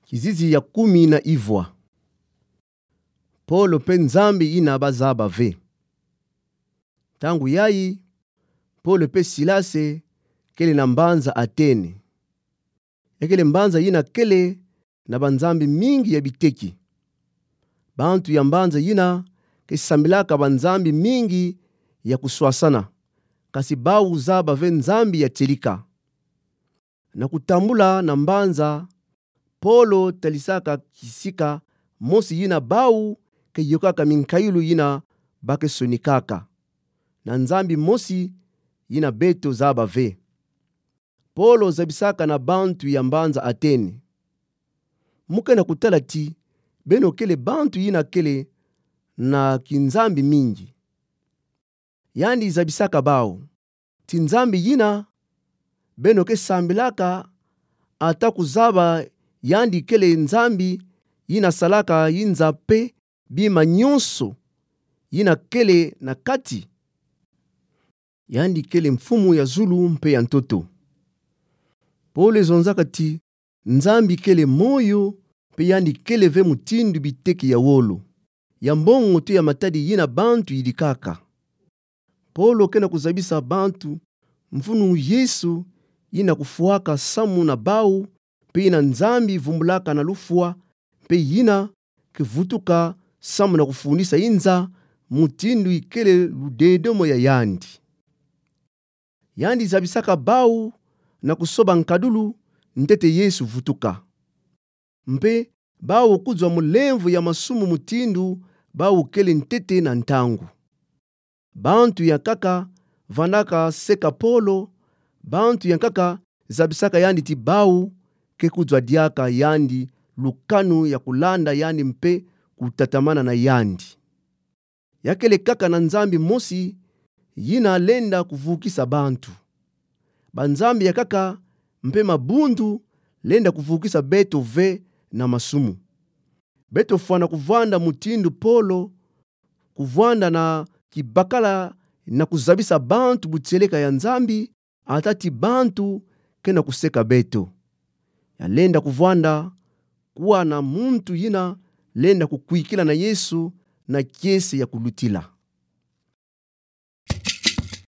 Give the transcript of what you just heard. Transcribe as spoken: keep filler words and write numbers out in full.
Kizizi ya kumi na ivwa. Polo mpe Nzambi yina bazaba ve. Ntangu yayi, Polo mpe Silase kele na mbanza Atene. Yakele mbanza yina kele na banzambi mingi ya biteki. Bantu ya mbanza yina ke sambilaka banzambi mingi ya kuswasana, kasi bawu zaba ve Nzambi ya tielika. Na kutambula na mbanza, Polo talisaka kisika mosi yina bawu ke yokaka minkayilu yina ba ke sonikaka, na Nzambi mosi yina beto zaba ve. Polo zabisaka na bantu ya mbanza Atene. Mu ke na kutala ti beno kele bantu yina kele na kinzambi mingi. Yandi zabisaka bawu ti nzambi yina beno ke sambilaka, ata kuzaba yandi kele Nzambi yina salaka yinza mpe bima nyonso yina kele na kati. Yandi kele Mfumu ya zulu mpe ya ntoto. Polo zonzaka ti Nzambi kele moyo, mpe yandi kele ve mutindu biteki ya wolo, ya mbongo to ya matadi yina bantu yidikaka. Polo ke na kuzabisa bantu mfunu Yesu yina kufwaka samu na bawu, mpe yina Nzambi vumbulaka na lufwa, mpe yina ke vutuka samu na kufunisa yinza mutindu ikele ludedomo ya yandi. Yandi zabisaka bawu na kusoba nkadulu ntete Yesu vutuka. Mpe bawu kuzwa mu lemvo ya masumu mutindu bawu kele ntete na ntangu. Bantu yankaka vandaka seka Polo, bantu yankaka zabisaka yandi ti bawu ke kuzwa diaka yandi lukanu ya kulanda yandi mpe kutatamana na yandi. Ya kele kaka na Nzambi mosi yina lenda kuvukisa bantu. Banzambi yankaka mpe mabundu lenda kuvukisa beto ve na masumu. Beto fwana kuvwanda mutindu Polo, kuvwanda na kibakala na kuzabisa bantu butieleka ya Nzambi, ata ti bantu ke na kuseka beto. Ya lenda kuvwanda kuwa na muntu yina lenda kukwikila na Yesu na kiese ya kulutila.